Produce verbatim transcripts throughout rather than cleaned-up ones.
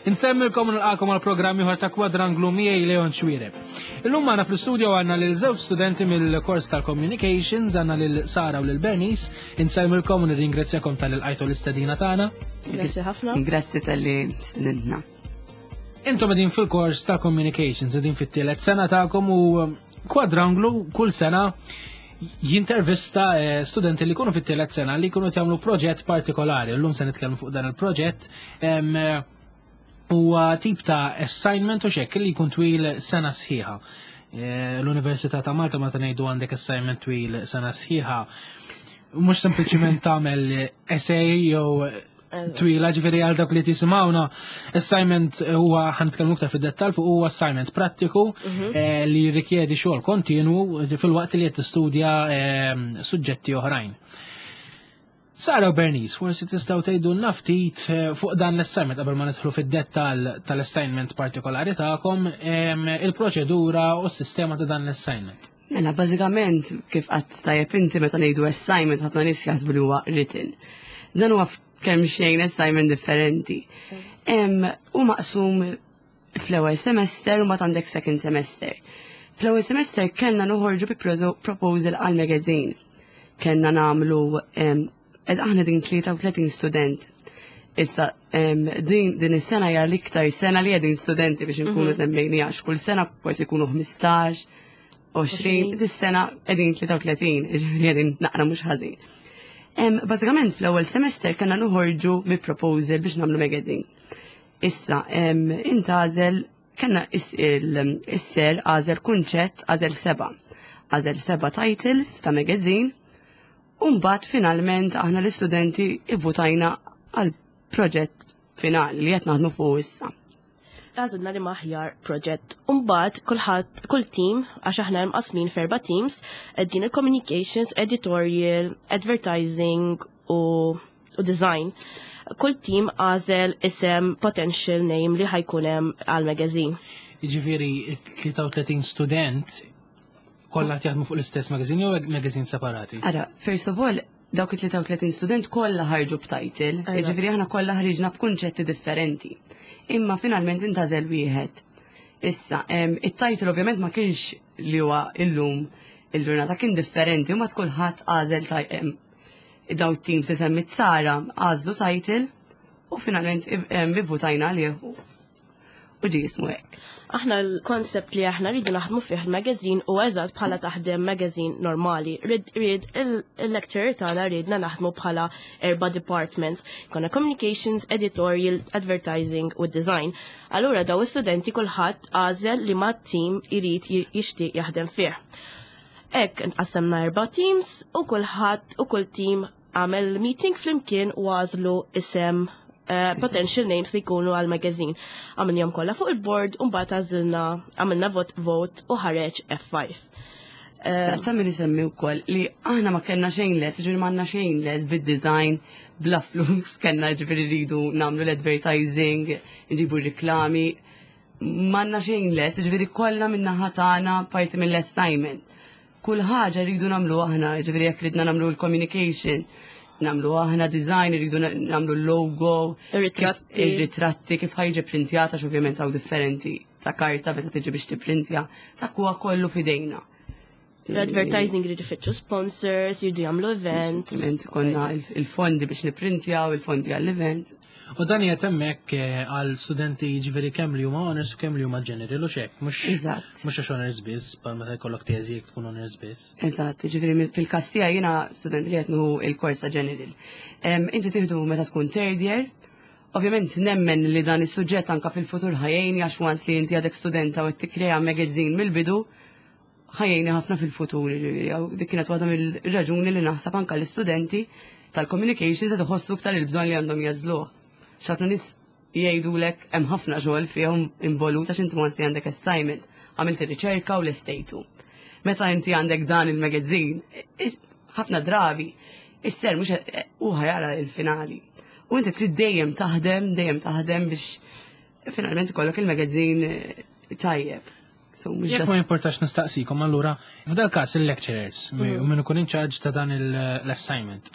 Insellmilkom u nilqagħkom għal programm ieħor ta' Kwadranglu, miegħi Leon Xuereb. Illum magħna fl-studio għandna lil żewġ studenti mill-kors tal-Communications, għandna lil Sara u lil Bernice. Insellmilkom u nirringrazzjakom talli lqajtu l-istedina tagħna. Grazzi ħafna. Grazzi talli stedintna. Intom qegħdin fil-kors tal-Communications, qegħdin fit-tielet sena tagħkom u Kwadranglu kull sena jintervista eh, studenti li jkunu fit-tielet sena li jkunu jagħmlu proġett partikolari. Llum se nitkellmu fuq dan il-proġett. Em, Huwa tip ta' assignment u xek li jkun twil sena sħiħa. Eh, L-Università ta' Malta, meta ngħidu għandek assignment twil sena sħiħa, mhux sempliċiment tagħmel essay jew twila. Ġifieri, għal dak li tisimgħuna, assignment huwa, ħa nitkellmu iktar fid-dettall fuq, huwa assignment prattiku eh, li jirrikjedi xogħol kontinu fil-waqt li qed tistudja eh, suġġetti oħrajn. Sara u Bernice, forsi tistgħu tgħidu ftit eh, fuq dan l-assignment qabel ma nidħlu fid-dettall tal-assignment partikolari tagħkom, em, il-proċedura u s-sistema ta' dan l-assignment. Mela, bażikament, kif għedt tajjeb inti, meta ngħidu assignment, ħafna nies jaħsbu li huwa written. Dan huwa kemm xejn assignment differenti. Em, U maqsum fl-ewwel semester u mbagħad għandek second semester. Fl-ewwel semester kellna noħorġu bi proso- proposal għal magazine. Kellna nagħmlu em, ed aħna din tlieta u tletin student. Issa, em, din, din is-sena hija l-iktar sena li qegħdin studenti biex nkunu semmejni, għax kull sena forsi jkunu ħmistax, għoxrin, dis-sena qegħdin tlieta u tletin, ġifieri qegħdin naqra mhux ħażin. Em, Bażikament fl-ewwel semester kellna noħorġu bi proposal biex nagħmlu magazine. Issa, em, intgħażel, kellna is- il- is-sir għażel kunċett, għażel seba'. Għażel seba' titles ta' magazine, u mbagħad finalment aħna l-istudenti ivvutajna għal proġett finali li qed naħdmu fuq issa. Għażilna li l-aħjar proġett. Umbagħad kulħadd, kull team, għax aħna mqasmin f'erba' teams, din il-communications, editorial, advertising u, u design. Kull team għażel isem, potential name li ħa jkun hemm għal magazine. Jiġifieri tlieta u tletin student kollha qed jaħdmu fuq l-istess magazine jew magazine separati? Ara, first of all, dawk it-tlieta u tletin student kollha ħarġu b'title, Eżatt. jiġifieri aħna kollha ħriġna b'kunċetti differenti. Imma finalment intgħażel wieħed. Issa, em, it-title ovvjament ma kienx li huwa illum il-ġurnata, kien differenti u ma kulħadd għażel taj- em, daw teams li semmit Sara għażlu title u finalment em, ivvutajna għalih u u ġie jismu hekk. Aħna l-koncept li aħna rridu naħdmu fih il-magazine u eżatt bħala taħdem magazine normali. Rid rid il-lecturer tagħna ridna naħdmu bħala erba' departments. Konna communications, editorial, advertising u design. Allura daw istudenti kulħadd għażel li ma team irid jixtieq jaħdem fih. Hekk nqassemna erba' teams u kulħadd u kull team għamel meeting flimkien u għażlu isem, uh, potential names li jkunu għal magazine. Għamilnihom kollha fuq il-board u mbagħad għażilna, għamilna vot vote u ħareġ F ħamsa. Issa, ta' min isemmi wkoll li aħna ma kellna xejn les, ġifieri m'għandna xejn les bid-design, bla flus, kellna ġifieri rridu nagħmlu l-advertising, nġibu reklami, m'għandna xejn les, ġifieri kollha min-naħa tagħna parti mill-assignment. Kull ħaġa rridu nagħmlu aħna, ġifieri jekk ridna nagħmlu l-communication, nagħmlu aħna design, rridu nagħmlu l-logo, Ir-ritratti. Il-ritratti, kif ħa jiġi printjata, ovvjament hawn differenti ta' karta meta tiġi biex tipprintja, ta' huwa kollu fidejna. L-advertising jridu jfittxu sponsors, jridu jagħmlu events. Ovvjament konna il- il-fondi biex niprintjaw, il-fondi għall-event. U dan qiegħed hemmhekk eh, għal studenti, ġifieri kemm li huma honors u kemm li huma general u xek, mhux Eżatt. mhux għax honors biss, bħal meta jkollok teżi jekk tkun honors biss. Eżatt, ġifieri fil-każ tiegħi jiena student li qed nieħu il-kors ta' general. Em, Inti tieħdu meta tkun third year. Ovvjament nemmen li dan is-suġġett anka fil-futur ħa jgħinni, għax once li inti għadek studenta u qed tikkrea magazine mill-bidu, ħa jgħinni ħafna fil-futur, ġifieri, għaw dik kienet waħda mill-raġuni li naħseb anka l-istudenti tal-communications qed iħossu iktar il-bżonn li għandhom jagħżluh. Ħafna nies jgħidulek hemm ħafna xogħol fihom involut, għax inti once li għandek assignment, għamilt ir-riċerka u l-estejtu. Meta inti għandek dan il-magazine, is- ħafna drabi, is-sir mhux u ħa jara il-finali. U inti trid dejjem taħdem, dejjem taħdem biex finalment ikollok il-magazine eh, tajjeb. So, mhux Jekk just- ma jimportax nistaqsikom, allura, f'dal każ il-lecturers, Mm. u min ikun in charge ta' dan il- l-assignment,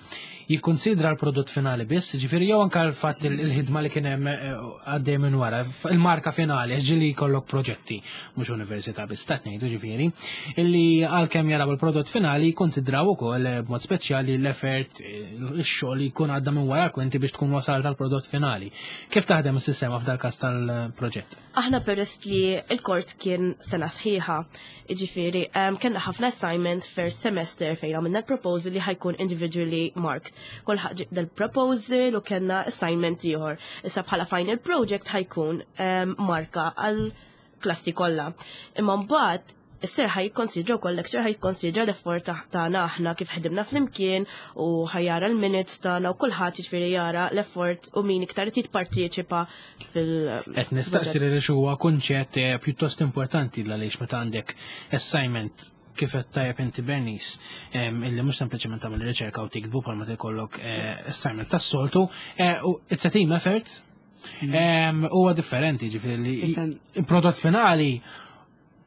jikkonsidra l-prodott finali biss, ġifieri jew anka l-fatt il- il-ħidma li kien hemm eh, għaddej minn wara, il-marka finali, ġieli jkollok proġetti, mhux università biss, ta' ngħidu ġifieri, illi għalkemm jaraw il-prodott finali jikkonsidraw ukoll eh, b'mod speċjali l-effort, eh, ix-xogħol li jkun għadda minn wara kwinti biex tkun wasal tal-prodott finali. Kif taħdem is-sistema f'dal każ tal-proġett? Aħna peress li il-kors kien sena sħiħa, ġifieri, um, kellna ħafna assignment first semester fejn għamilna l-proposal li ħa jkun individually marked. Kulħadd ġib del-proposal u kellna assignment ieħor. Issa bħala final project ħa jkun um, marka għal klassi kollha. Imma mbagħad is-sir ħa jikkonsidra wkoll lecture ħa jikkonsidra l-effort ta- tagħna aħna kif ħdimna flimkien u ħa jara l-minutes tagħna u kulħadd jiġifieri jara l-effort u min iktar irid jipparteċipa fil- Qed nistaqsi li huwa kunċett eh, pjuttost importanti għaliex meta għandek assignment kif qed tajjeb inti Bernice, em, illi mhux sempliċement tagħmel riċerka u tiktbu bħalma tikollok eh, assignment tas-soltu, eh, u it's a team effort. Em, Huwa differenti ġifieri li Ifhem. il-prodott finali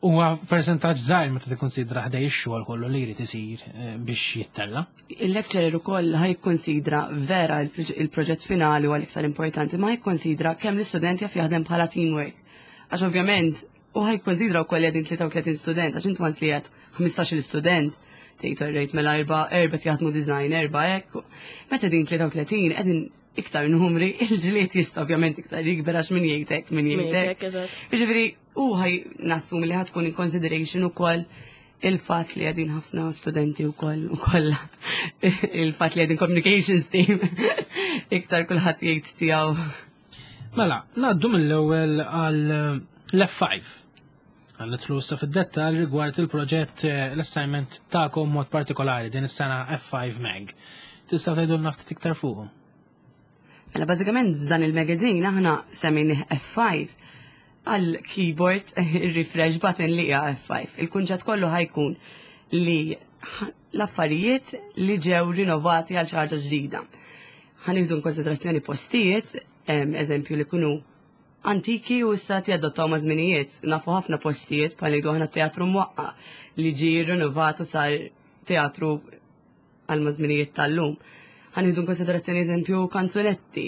huwa percentaġġ żgħir meta tikkonsidra ħdej ix-xogħol kollu li jrid isir eh, biex jittella. Il-lecturer ukoll ħa jikkonsidra vera il- il-proġett finali huwa l-iktar importanti, ma jikkonsidra kemm l-istudent jaf jaħdem bħala teamwork. Għax ovvjament, u ħa jikkonsidra wkoll qegħdin tlieta u tletin student, għax inti once li qed ħmistax-il student, tgħid alright mela erba' erba' jaħdmu design, erba' hekk. Meta din tlieta u tletin qegħdin iktar numri, il-ġlied jista' ovvjament iktar jikber għax min jgħidek, min Min jgħidek. jgħidek, eżatt. Ġifieri, u ħaj nassumi li ħa tkun in consideration ukoll il-fatt li qegħdin ħafna studenti u koll u kolla il-fatt li qegħdin communications team iktar kulħadd jgħid tiegħu. Mela, ngħaddu mill-ewwel għal l-F five. Għal nidħlu issa fid-dettal rigward il-proġett eh, l-assignment tagħkom mod partikolari din is-sena F five Mag. Tistgħu tgħidulna ftit iktar fuqhom? Mela bażikament dan il-magazine aħna semmejnih F five għal keyboard il-refresh button li hija F five. Il-kunċett kollu ħa jkun li ħ- l-affarijiet li ġew rinnovati għal xi ħaġa ġdida. Ħa nieħdu konsiderazzjoni postijiet, em, eżempju li kunu antiki u issa jadottaw ma' żminijiet. Nafu ħafna postijiet bħal ngħidu aħna teatru mwaqqa li ġi rinnovat u sar teatru għal maż-żminijiet tal-lum. Ħa nieħdu konsiderazzjoni eżempju kanzunetti,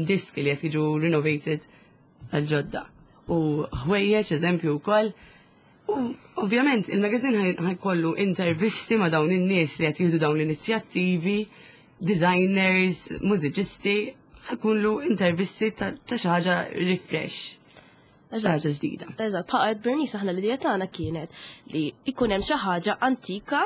diski li qed jiġu renovated għal ġodda. U ħwejjeġ eżempju wkoll. U ovvjament il-magazine ħa jkollu intervisti ma' dawn in-nies li qed jieħdu dawn l-inizjattivi, designers, mużiċisti, ħa jkollu intervisti ta' ta' xi ħaġa refresh. Xi ħaġa ġdida. Eżatt, bħal Bernice aħna l-idea tagħna kienet li ikun hemm xi ħaġa antika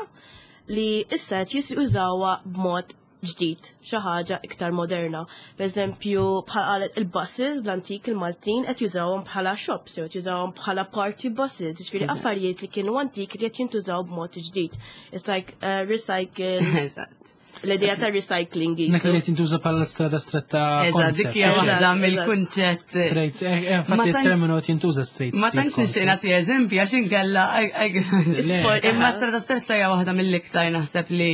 li issa qed jużawha b'mod ġdid, xi ħaġa iktar moderna. Per eżempju, bħal qalet il-buses l-antik il-Maltin qed jużawhom bħala shops, jew qed jużawhom bħala party buses, ġifieri Eżatt. affarijiet li kienu antik li qed jintużaw b'mod ġdid. It's like uh, recycle, Eżatt. l-idea ta' recycling Nek li jisu. qed jintuża bħala strada stretta Eżatt, concept. dik hija Eżatt, waħda eżatt. mill-kunċett. Straight, eh, eh, Ma infatti tan- il-terminu qed jintuża straight. Ma tantx nixtieq nagħti eżempji għax inkella Le. Imma strada stretta hija waħda mill-iktar naħseb li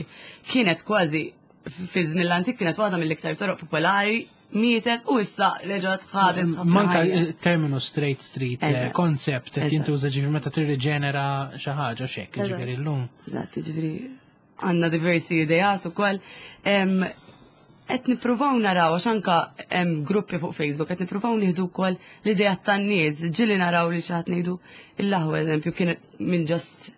kienet kważi fi żmien l-antik kienet waħda mill-iktar toroq popolari, mietet u issa reġgħet ħadet ħafna Manka ħajja. il-terminu straight street eh, Eżatt. concept qed Eżatt. jintuża ġifieri meta tirriġenera xi ħaġa x'hekk, Eżatt. ġifieri llum. Eżatt, ġifieri għandna diversi ideat ukoll. Em, Qed nippruvaw naraw għax anka hemm gruppi fuq Facebook qed nippruvaw nieħdu wkoll l-ideat tan-nies, ġieli naraw li xi ħadd ngħidu il-laħwa eżempju kienet minn just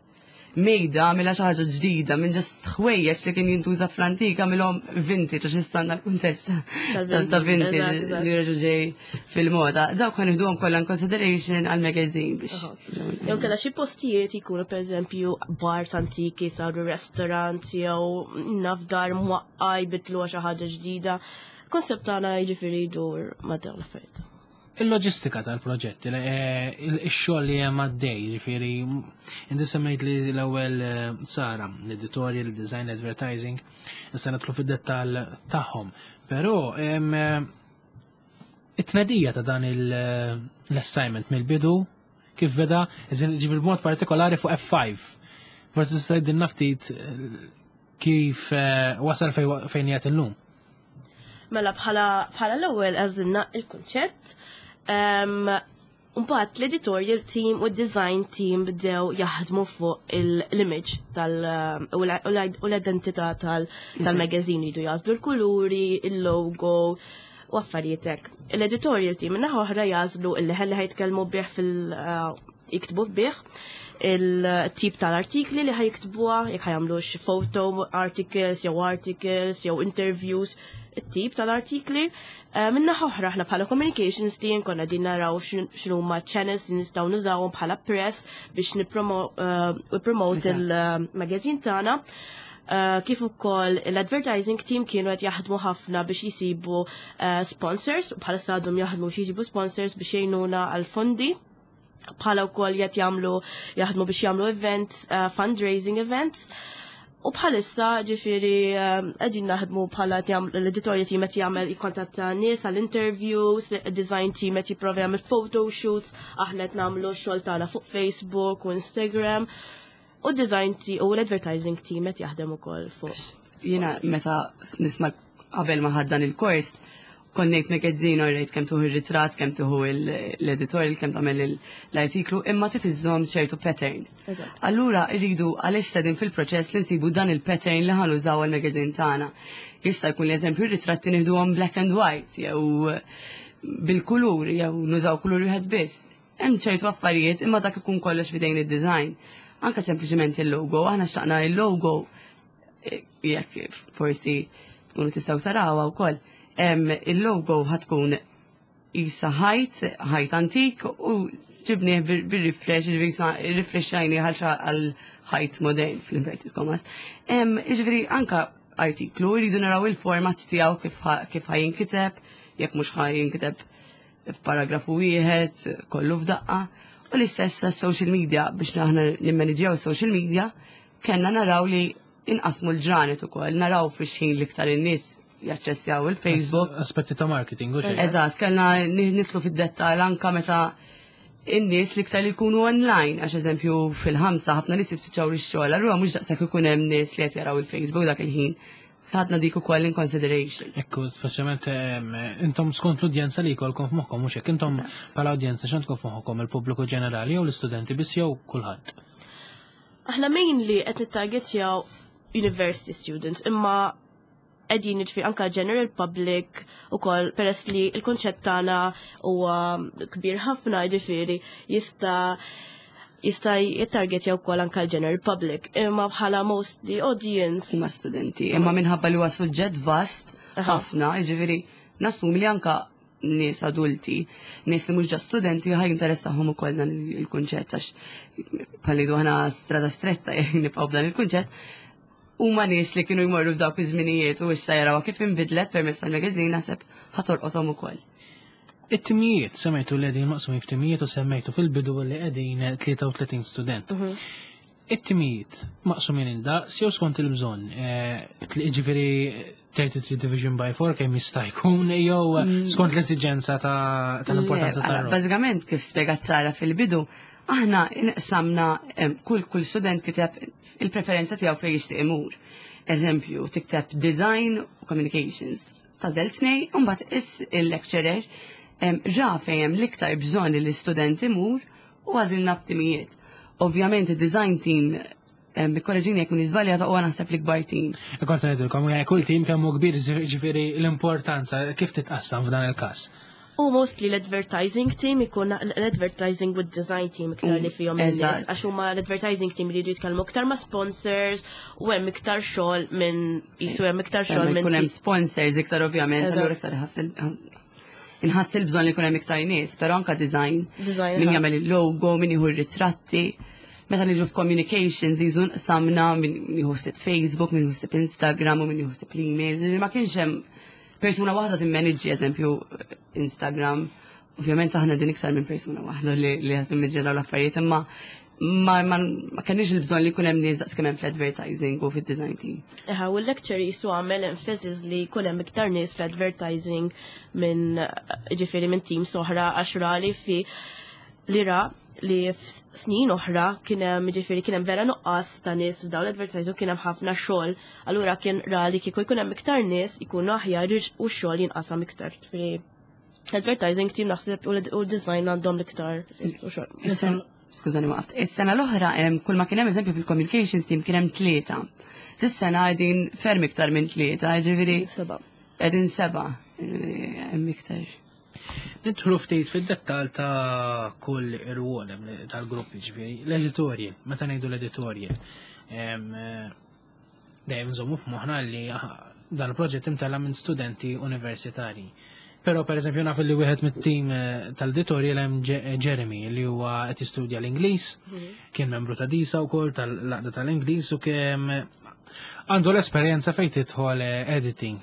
mejda mela xi ħaġa ġdida minn just ħwejjeġ li kien jintuża fl-antika milhom vintage għax issa għandna l-kuntest ta' ta' vintage Eżatt, eżatt. li reġgħu ġej fil-moda. Dawk ħa nieħduhom kollha in consideration għal-magazine biex. Jew kellha xi postijiet jkunu pereżempju bars antiki saru restaurant jew naf dar mwaqqa jbidluha xi ħaġa ġdida. Konsept tagħna jiġifieri jdur ma' dawn l-affarijiet. Il-loġistika tal-proġett, il- eh, il-xogħol li hemm għaddej, ġifieri inti semmejt li l-ewwel eh, Sara, l-editorial, il-design, l-advertising, issa nidħlu fid-dettall tagħhom. Però em, eh, it-tnedija ta' dan il- eh, l-assignment mill-bidu kif beda, ġifieri b'mod partikolari fuq F five. Forsi tista' tgħidilna ftit eh, kif eh, wasal fej- fejn qiegħed illum. Mela bħala bħala l-ewwel għażilna il-kunċett. Um, Mbagħad l-editorial team u d-design team bdew jaħdmu fuq l-image tal u l-identità tal-magazine, jridu jagħżlu l-kuluri, il-logo u affarijiet hekk. L-editorial team min-naħa oħra jagħżlu il-leħen li ħa jitkellmu bih fil- jiktbu bih, il-tip tal-artikli li ħa jiktbuha, jekk ħa jagħmlux photo articles, jew articles, jew interviews, it-tip tal-artikli. Eh, Min-naħa oħra aħna bħala communications team konna din naraw x'inhuma channels li nistgħu nużawhom bħala press biex nippromote il-magazine tagħna. Uh, kif ukoll l-advertising team kienu qed jaħdmu ħafna biex jisibu uh, sponsors, u bħala għadhom jaħdmu biex jisibu sponsors biex jgħinuna għal fondi, bħala wkoll qed jagħmlu jaħdmu biex jagħmlu events, uh, fundraising events. U bħalissa ġifieri qegħdin naħdmu bħala l-editorial team qed jagħmel jikkontatta nies għal interviews, design team qed jipprova jagħmel photo shoots, aħna qed nagħmlu xogħol tagħna fuq Facebook u Instagram. U design team u l-advertising team qed jaħdem ukoll fuq. Jiena meta nisma' qabel ma ħadna il-kors, kont ngħid magazine, rejt kemm tieħu ir-ritratt, kemm tieħu l-editorial, kemm tagħmel l-artiklu, imma trid iżżomm ċertu pattern. Allura rridu għalissa din fil-proċess li nsibu dan il-pattern li ħa nużaw għal-magazine tagħna. Jista' jkun li, eżempju, r-ritratti nieħduhom black and white jew bil-kulur jew nużaw kulur wieħed biss. Hemm ċertu affarijiet, imma dak ikun kollox f'idejn id-design. Anka sempliċement il-logo, aħna xtaqna il-logo, eh, jekk forsi tkunu tistgħu tarawha wkoll, il-logo ħa tkun isa ħajt, ħajt antik u ġibnieh bil-refresh, ġifieri refreshajnieh għal ħajt modern fl-inverted commas. Ġifieri anka artiklu, jridu naraw il-format tiegħu, kif ħa jinkiteb, jekk mhux ħa jinkiteb f'paragrafu wieħed, kollu f'daqqa. U l-istess social media, biex aħna nimmaniġjaw social media, kellna naraw li inqasmu l-ġranet ukoll, naraw fix-xħin l-iktar in-nies jaċċessjaw il-Facebook. Aspetti ta' marketing, u Eżatt, kellna nidħlu fid-dettal anka meta in-nies l-iktar li jkunu online, għax eżempju fil-ħamsa ħafna nies jispiċċaw ix-xogħol, allura mhux daqshekk ikun hemm nies li qed jaraw il-Facebook dak il-ħin. Ħadna dik ukoll in consideration. Ekku, speċjalment intom skont l-udjenza li jkollkom f'moħħkom, mhux hekk? Intom bħala udjenza x'għandkom f'moħħkom, il-pubbliku ġenerali jew l-istudenti biss jew kulħadd? Aħna mainly qed nittargetjaw university students, imma qegħdin ġifieri anka general public ukoll, peress li il-konċett tagħna huwa kbir ħafna, ġifieri jista' jista' jittargetja wkoll anka l-general public. Imma bħala mostly audience huma studenti, imma minħabba li huwa suġġett vast ħafna, ġifieri nassumi li anka nies adulti, nies li mhux ġa studenti, ħa jinteressahom ukoll dan il-kunċett, għax bħalli aħna Strada Stretta nibqgħu b'dan il-kunċett, huma nies li kienu jmorru f'dawk iż-żminijiet u issa jaraw kif inbidlet permezz tal-magazine, naħseb ħa tolqothom ukoll. It-timijiet, semmejtu li qegħdin maqsumin f'timijiet u semmejtu fil-bidu li qegħdin tlieta u tletin student. It-timijiet maqsumin indaqs jew skont il-bżonn? Eh, ġifieri thirty-three division by four kemm jista' jkun jew skont l-esiġenza ta' tal-importanza Le, ta' ara, bażikament kif spjegat Sara fil-bidu, aħna inqsamna, em, kull kull student kiteb il-preferenza tiegħu fejn jixtieq imur. Eżempju, tikteb design u communications. Tagħżel tnej, u mbagħad is il-lecturer em, ra fejn hemm l-iktar bżonn li l-istudent imur u għażilna b'timijiet. Ovvjament id-design team, em, ikkoreġini jekk m'iniex żbaljata, huwa naħseb l-ikbar team. Kont se ngħidilkom, ja, kull tim kemm hu kbir, ġifieri l-importanza kif titqassam f'dan il-każ? U mostly l-advertising team ikun l-advertising with design team iktar li fihom in-nies, Eżatt. għax huma l-advertising team li jridu jitkellmu iktar ma' sponsors u hemm iktar xogħol minn jisu hemm iktar xogħol minn Ikun hemm sponsors iktar ovvjament, Eżatt. allura iktar iħass inħass il-bżonn li jkun hemm iktar nies, però anka design, Design, min aha. jagħmel il-logo, min jieħu r-ritratti. Meta niġu f'communications jiżu nqsamna min jieħu ħsieb Facebook, min jieħu ħsieb Instagram u min jieħu ħsieb l-emails. Ġifieri ma kienx hemm persuna waħda timmanagġi eżempju Instagram. Ovvjament aħna din iktar minn persuna waħda li li qed timmanagġi dawn l-affarijiet, imma ma ma ma kenniex il-bżonn li jkun hemm nies daqs kemm hemm fl-advertising u fid-design team. Eħa, u l-lecturer jisu għamel emphasis li jkun hemm iktar nies fl-advertising minn ġifieri minn team oħra, għax ra li fi li ra li f'snin oħra kien hemm ġifieri kien hemm vera nuqqas ta' nies f'dawn l-advertising, kien hemm ħafna xogħol. Allura kien ra li kieku jkun hemm iktar nies ikunu aħjar u x-xogħol jinqasam iktar. Ġifieri Advertising team naħseb u l-design għandhom l-iktar. Skużani waqt. Is-sena l-oħra kull ma kien hemm, eżempju, fil-communications team kien hemm tlieta. Dis-sena qegħdin ferm iktar minn tlieta, ġifieri. Seba. Qegħdin seba'. Hemm iktar. Nidħlu ftit fid-dettal ta' kull irwol tal-gruppi, ġifieri, l-editorial, meta ngħidu l-editorial. Dejjem nżommu f'moħħna li dan il-proġett imtella minn studenti universitari. Però, per eżempju, naf li wieħed mit-tim eh, tal-editorial hemm Jeremy li huwa qed jistudja l-Ingliż, mhm. kien membru ta' DISA wkoll, tal-laqda tal-Ingliż, u kemm għandu l-esperjenza fejn tidħol eh, editing.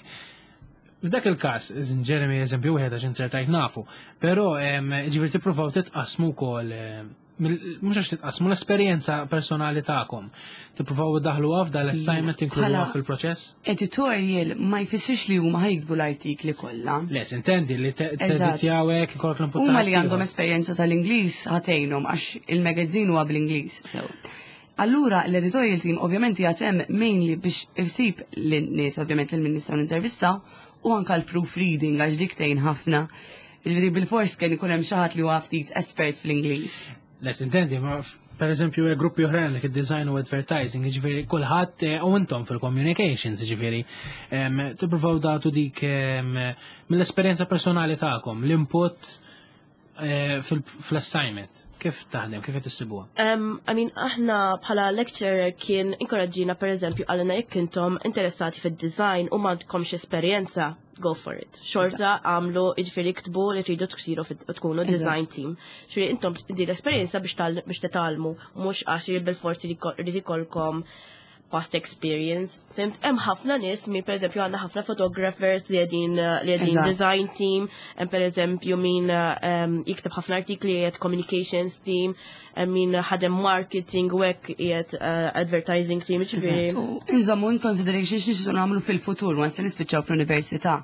F'dak il-każ, Jeremy eżempju wieħed għax insertajt nafu, però ġifieri tippruvaw titqasmu wkoll, eh, mhux għax titqasmu l-esperjenza personali tagħkom. Tippruvaw daħlu f'dal l-assignment, inkluduha fil-proċess? Editorial ma jfissirx li huma ħa jiktbu l-artikli kollha. Le, intendi li teditjaw hekk, ikollok l-input. Huma li għandhom esperjenza tal-Ingliż ħa tgħinhom għax il-magazine huwa bl-Ingliż. So. Allura l-editorial team ovvjament jaħdem mainly biex isib l-nies, ovvjament, lil min nistgħu intervista u anka l-proofreading għax dik tgħin ħafna. Ġifieri bil-fors kien ikun hemm xi ħadd li huwa ftit espert fl-Ingliż. Les intendi, ma per eżempju gruppi oħrajn dik design u advertising, ġifieri kulħadd, eh, u intom fil-communications, ġifieri tippruvaw tagħtu dik mill-esperjenza personali tagħkom, l-input eh, fil-assignment. Kif taħdem, kif qed issibuha? Um, I mean, aħna bħala lecturer kien inkoraġġina, per eżempju, għalina jekk intom interessati fid-design u m'għandkomx esperjenza, go for it. Xorta għamlu, ġifieri ktbu li tridu tsiru tkunu design team. Ġifieri intom di l-esperjenza biex biex titgħallmu, mhux għax bil-forsi li rrid ikolkom past experience. Fhimt, hemm ħafna nies min, pereżempju, għandna ħafna photographers li qegħdin li qegħdin design team, hemm pereżempju min um, jikteb ħafna artikli qiegħed communications team, hemm min ħadem marketing u hekk qiegħed uh, advertising team, ġifieri. Inżommu in consideration xi nagħmlu fil-futur once li nispiċċaw fl-università.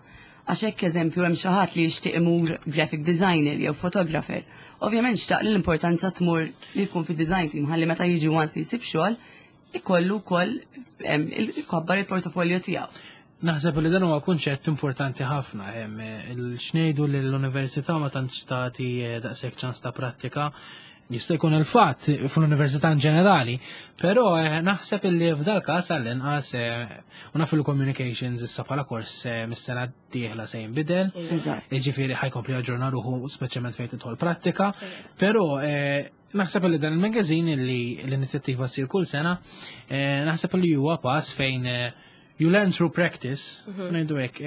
Għax hekk, eżempju, hemm xi ħadd li jixtieq imur graphic designer jew photographer. Ovvjament xtaq li l-importanza tmur li jkun fid-design team ħalli meta jiġi once li jsib xogħol ikollu wkoll ikabbar il-portafolio tiegħu. Naħseb li dan huwa kunċett importanti ħafna, hemm il-xnejdu li l-università ma tantx tagħti eh, daqshekk ċans ta' prattika. Jista' jkun il-fatt fl-università in ġenerali, però eh, naħseb li f'dal każ għall-inqas, eh, u naf il-communications issa bħala kors mis-sena d-dieħla se jinbidel. Eżatt. Ġifieri ħa jkompli jaġġorna ruħu, speċjalment fejn tidħol prattika, però naħseb li dan il-magazine li l-inizjattiva ssir kull sena, naħseb li huwa pass fejn you learn through practice, ngħidu hekk,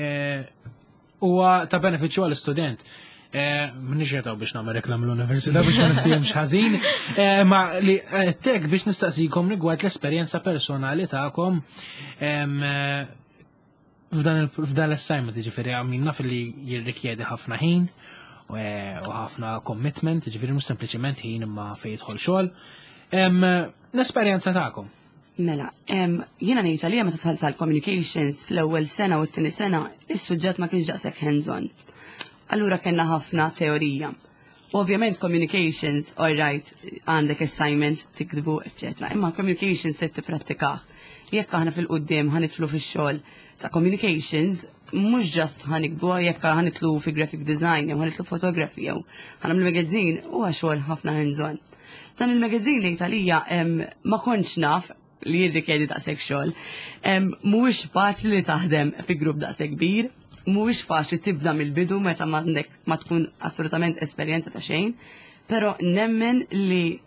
huwa ta' benefiċċju għall-istudent. M'inix jetaw biex nagħmel reklam l-università biex ma niftihemx ħażin, ma li tek biex nistaqsikom rigward l-esperjenza personali tagħkom f'dan l-assignment, ġifieri għamilna fil-li jirrikjedi ħafna ħin u ħafna commitment, ġifieri mhux sempliċement ħin imma fejn jidħol xogħol. L-esperjenza tagħkom. Mela, jiena ngħid għalija, meta dħalt tal-communications fl-ewwel sena u t-tieni sena, is-suġġett ma kienx daqshekk hands-on. Allura kellna ħafna teorija. U ovvjament communications, all right, għandek assignment, tiktbu, eccetera. Imma communications se tipprattikah. Jekk aħna fil-qoddim ħa nidħlu fix-xogħol ta' communications, mhux just ħa niktbu, jekk ħa nidħlu fi graphic design, jew ħa nidħlu photography, jew ħa nagħmlu magazine, huwa xogħol ħafna hands-on. Dan il-magazine li talija ma kontx naf li jirrikjedi daqshekk xogħol. Mhuwiex faċli li taħdem fi grupp daqshekk kbir, mhuwiex faċli tibda mill-bidu meta m'għandek ma tkun assolutament esperjenza ta' xejn, però nemmen li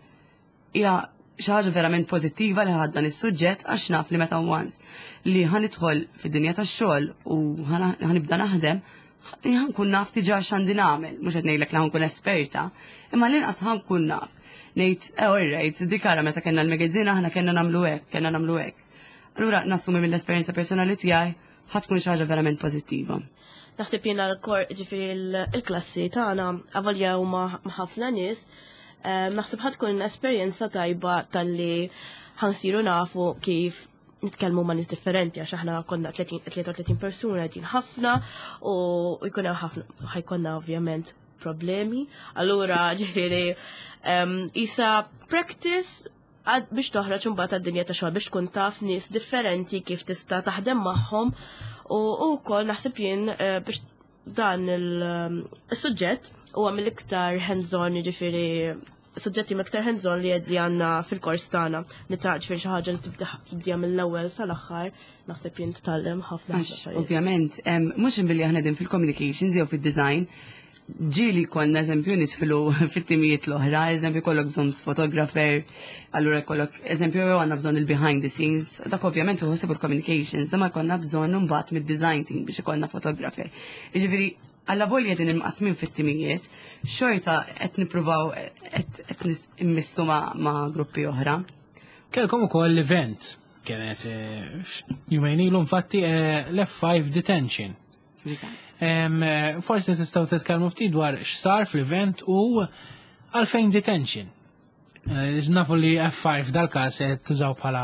hija xi ħaġa verament pożittiva li ħadt dan is-suġġett għax naf li meta once li ħa nidħol fid-dinja tax-xogħol u ħa nibda naħdem, ħa nkun naf diġà x'għandi nagħmel, mhux qed ngħidlek li ħa nkun esperta, imma l-inqas ħa nkun naf. Ngħid, eh, all right, dik ara meta kellna l-magazine aħna kellna nagħmlu hekk, kellna nagħmlu hekk. Allura nassumi mill-esperjenza personali tiegħi ħa tkun xi ħaġa verament pożittiva. Naħseb jiena l-kor, ġifieri il-klassi tagħna avolja huma ħafna nies, eh, naħseb ħa tkun esperjenza tajba talli ħa nsiru nafu kif nitkellmu ma' nies differenti għax aħna konna tlieta u tletin persuna, din ħafna u jkun hemm ħafna, ħa jkollna ovvjament problemi. Allura ġifieri isa practice biex toħroġ imbagħad għad-dinja ta' xogħol biex tkun taf nies differenti kif tista' taħdem magħhom u wkoll naħseb jien eh, biex Dan il-suġġett huwa mill-iktar hands-on, jiġifieri suġġetti mill-iktar hands-on li li għandna fil-kors tagħna. Nita ġifieri xi ħaġa li tibda tibdija mill-ewwel sal-aħħar, naħseb jien titgħallem ħafna ħafna Għax, affarijiet. ovvjament, em, mhux billi aħna din fil-communications jew fil-design, ġieli konna eżempju nidħlu fit-timijiet l-oħra, eżempju kollok bżonn photographer, allura kollok, eżempju jew għandna bżonn il-behind the scenes, dak ovvjament uħsib il-communications, imma konna bżonn mbagħad mid-design team biex ikollna photographer. Jiġifieri, alla volja din imqasmin fit-timijiet, xorta qed nippruvaw qed qed nis- immissu ma' ma' gruppi oħra. Kelkom ukoll l-event kienet eh, jumejn ilu infatti eh, l-F five Detention. Em, eh, Forsi tistgħu titkellmu ftit dwar x'sar fl-event u għalfejn detention. Eh, Nafu li F five dal-każ qed tużaw bħala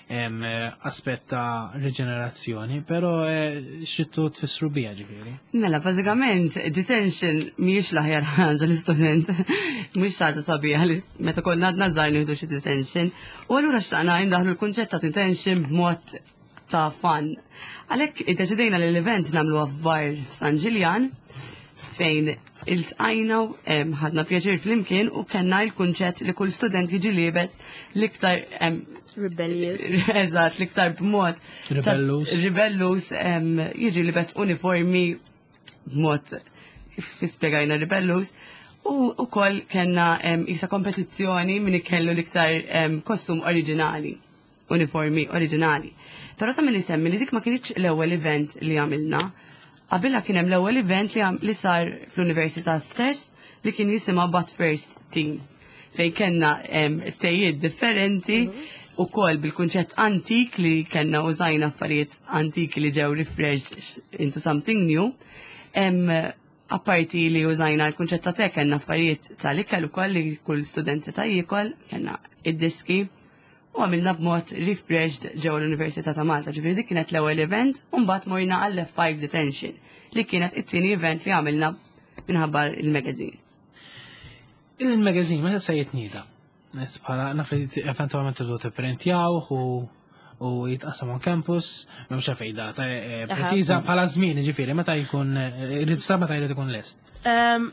em, eh, aspett ta' riġenerazzjoni, però eh, x'tridtu tfissru biha ġifieri? Mela, bażikament, detention mhijiex l-aħjar ħaġa l-istudent, mhux ħaġa sabiħa li meta konna għadna żgħar nieħdu xi detention. U allura xtaqna indaħlu l-kunċett ta' detention b'mod ta' fun. Għalhekk iddeċidejna li l-event nagħmluha f'bar f'San Ġiljan fejn iltqajna, em, ħadna pjaċir flimkien u kellna l-kunċett li kull student jiġi liebes l-iktar em, Rebellious. Eżatt, l-iktar b'mod ta' Rebellus. Rebellus, em, jiġi libes uniformi b'mod kif spiegajna rebellus. U ukoll kellna em, isa kompetizzjoni min ikellu l-iktar em, kostum oriġinali, uniformi oriġinali. Però ta' min isemmi li dik ma kienx l-ewwel event li għamilna. Qabilha kien hemm l-ewwel event li, għam- li sar fl-università stess li kien jisimha But First Team, fejn kellna em, tejiet differenti u kol bil-kunċett antik li kellna użajna affarijiet antiki li ġew refreshed into something new. Em, apparti li użajna l-kunċett ta' te, kellna affarijiet tal-ikel ukoll li kull studenti ta' jiekol, kellna id-diski u għamilna b'mod refreshed ġewwa l-Università ta' Malta. Ġifieri dik kienet l-ewwel event u mbagħad morna għall F five Detention li kienet it-tieni event li għamilna minħabba il-magazine. Il-magazine meta se jitnieda? Nis bħala naf li eventualment tridu tipprintjawh u u jitqassam on campus, m'hemmx fejn data eh, preċiża bħala żmien, ġifieri meta jkun eh, irid sa meta jrid ikun lest? Um,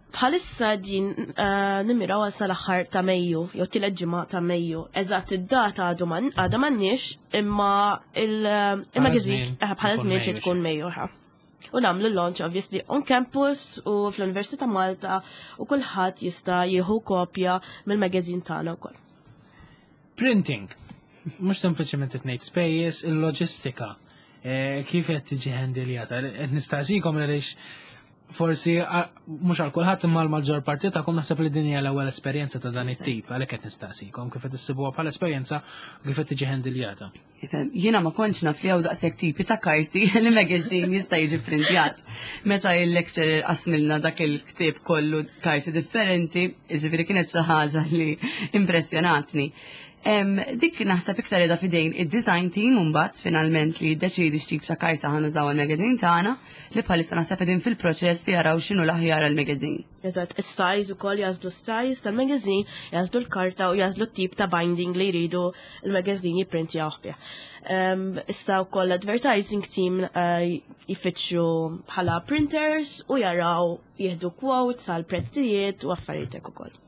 Bħalissa din uh, nimmiraw għal sal-aħħar ta' Mejju, jew tielet ġimgħa ta' Mejju. Eżatt id-data għadu man- għadha m'għandniex, imma il-magazine żmien bħala ikun żmien Mejju. xi tkun Mejju, ħa. U nagħmlu launch obviously on campus u fl-Università Malta u kulħadd jista' jieħu kopja mill-magazine tagħna wkoll. Printing. Mhux sempliċement qed ngħid spejjeż, il-loġistika. Eh, Kif qed tiġi ħendiljata? Qed nistaqsikom għaliex forsi a- mhux għal kulħadd imma l-maġġor parti tagħkom naħseb li din hija l-ewwel esperjenza ta' dan it-tip, għalhekk qed nistaqsikom kif qed issibuha bħala esperjenza u kif qed tiġi ħendiljata. Ifhem, jiena ma kontx naf li hawn daqshekk tipi ta' karti li magazine jista' jiġi printjat. Meta il-lecturer qasmilna dak il-ktieb kollu karti differenti, jiġifieri kienet xi ħaġa li impressjonatni. Em, dik naħseb iktar qiegħda f'idejn id-design team mbagħad finalment li jiddeċiedi x'tip ta' karta ħa nużaw għal-magazine tagħna, li bħalissa naħseb qegħdin fil-proċess li jaraw x'inhu l-aħjar għal-magazine. Eżatt, is-size ukoll, jagħżlu s-size tal-magazine, jagħżlu l-karta u jagħżlu t-tip ta' binding li jridu il-magazine jipprintjawh bih. Um, issa wkoll l-advertising team uh, jfittxu bħala printers u jaraw jieħdu quotes għal prezzijiet u affarijiet hekk ukoll.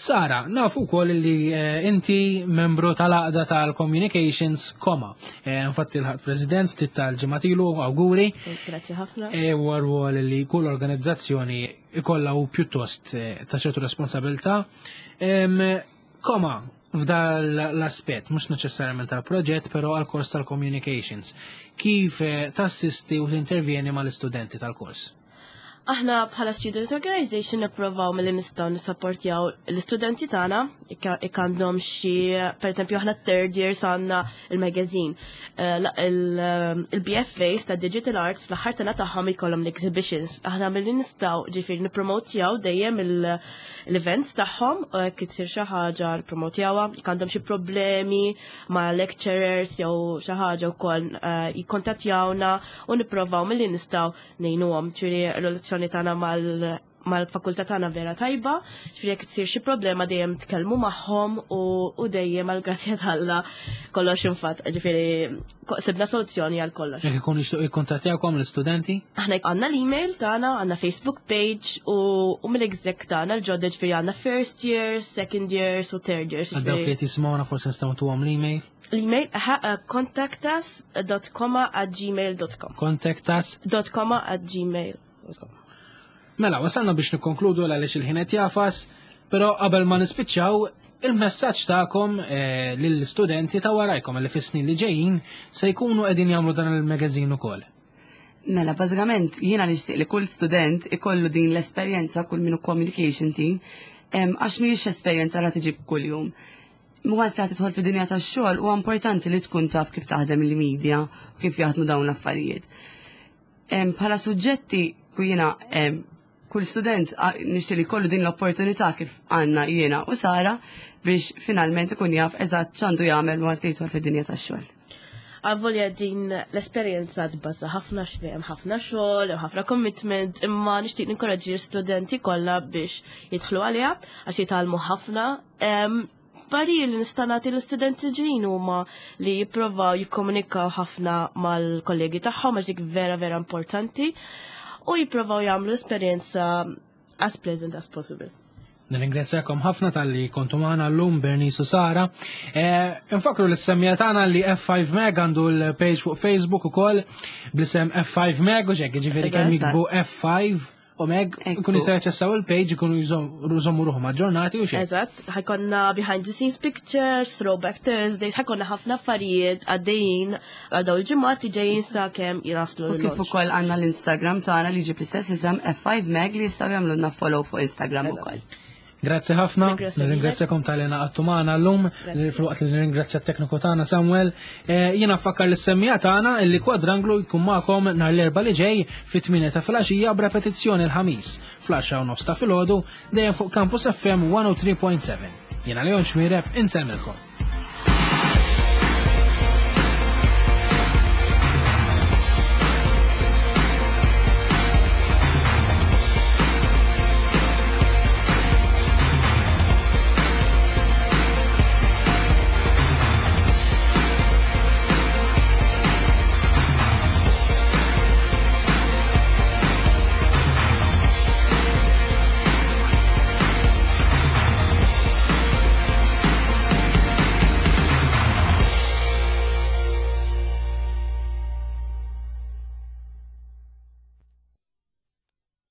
Sara, nafu wkoll li eh, inti membru tal-għaqda tal-Communications Koma. Eh, Infatti l-ħadd president ftit tal-ġimgħat ilu, awguri. Grazzi ħafna. E huwa rwol li kull organizzazzjoni ikollha u pjuttost eh, ta' ċertu responsabilità. Em, Koma, f'dal l-aspett, mhux neċessarjament tal-proġett, però għal-kors tal-communications. Kif eh, tassisti u tintervjeni mal-istudenti tal-kors? Aħna bħala Student Organization nipprovaw milli nistgħu nisapportjaw l-istudenti tagħna jekk għandhom xi, pereżempju aħna third years għandna il-magazine. Eh, la- il- Il-B F As ta' Digital Arts fl-aħħar sena tagħhom ikollhom l-exhibitions. Aħna milli nistgħu ġifieri nippromotjaw dejjem il- l-events tagħhom u jekk isir xi ħaġa nippromotjawha, jekk għandhom xi problemi ma' lecturers jew xi ħaġa wkoll eh, jikkontattjawna u nipprovaw milli nistgħu ngħinuhom. Ġifieri r-relazzjoni tagħna mal mal-fakultà tagħna vera tajba, ġifieri jekk tsir xi problema dejjem tkellmu magħhom u, u dejjem għal grazzja t'Alla kollox infatt, ġifieri ko- sibna soluzzjoni għal kollox. Jekk ikun jixtiequ jikkuntattjawkom l-istudenti? Aħna għandna l-email tagħna, għandna Facebook page u, u mill-exec tagħna l-ġodda, ġifieri għandna first years, second years u third years. Għal dawk li qed jisimgħuna forsi nistgħu ntuhom l-email. L-email ha- uh, contactus dot comma at gmail dot com. Contact us. Dot comma at gmail dot com. Mela, wasalna biex nikkonkludu għaliex il-ħin qed jagħfas, però qabel ma nispiċċaw, il-messaġġ tagħkom eh, lill-istudenti ta' warajkom li fis-snin li ġejjin se jkunu qegħdin jagħmlu dan il-magazine ukoll. Mela, bażikament jiena nixtieq li kull student ikollu din l-esperjenza, kull minnu communication team, em, għax mhijiex esperjenza li tiġi kuljum. Once li tidħol fid-dinja tax-xogħol, huwa importanti li tkun taf kif taħdem il-media u kif jaħdmu dawn l-affarijiet. Em, Bħala suġġetti, ku jiena em, kull student a- nixtieq li jkollu din l-opportunità kif għandna jiena u Sara biex finalment ikun jaf eżatt x'għandu jagħmel once li jidħol fid-dinja tax-xogħol. Avolja din l-esperjenza tbaża ħafna, x'hemm ħafna xogħol u ħafna commitment, imma nixtieq ninkoraġġi l-studenti kollha biex jidħlu għaliha għax jitgħallmu ħafna. Em, Parir li nista' nagħti l-istudenti ġejjin huma li jippruvaw jikkomunikaw ħafna mal-kollegi tagħhom għax dik vera vera importanti u jippruvaw jagħmlu esperjenza as pleasant as possible. Nirringrazzjakom ħafna talli kontu magħna llum, Bernice u Sara. Eh, Infakru lis-semmiegħa tagħna li F five Mag għandu l-page fuq Facebook ukoll bl-isem F five Mag u hekk, ġifieri kemm Eżatt. jiktbu F five u Mag Ekku. ikun jistgħu jaċċessaw il-page, ikunu jżommu ruħhom aġġornati u xejn. Eżatt, ħa jkollna behind the scenes pictures, throwback Thursdays, ħa jkollna ħafna affarijiet għaddejjin għal dawn il-ġimgħat li ġejjin sa kemm jaslu U kif l-launch. Ukoll għandna l-Instagram tagħna li ġib l-istess isem F five Mag li jistgħu jagħmlulna follow fuq Instagram ukoll. Grazzi ħafna, Grazzi. Nirringrazzjakom talli ngħaqadtu magħna llum, filwaqt li nirringrazzja t-tekniku tagħna Samuel. Eh, Jiena nfakkar lis-semmiegħa tagħna illi Kwadranglu jkun magħkom nhar l-Erbgħa li ġej fit-tmienja ta' filgħaxija b'repetizzjoni l-Ħamis fl-għaxra u nofs ta' filgħodu, dejjem fuq Campus F M one oh three point seven. Jiena Leon Xmireb, insellmilkom.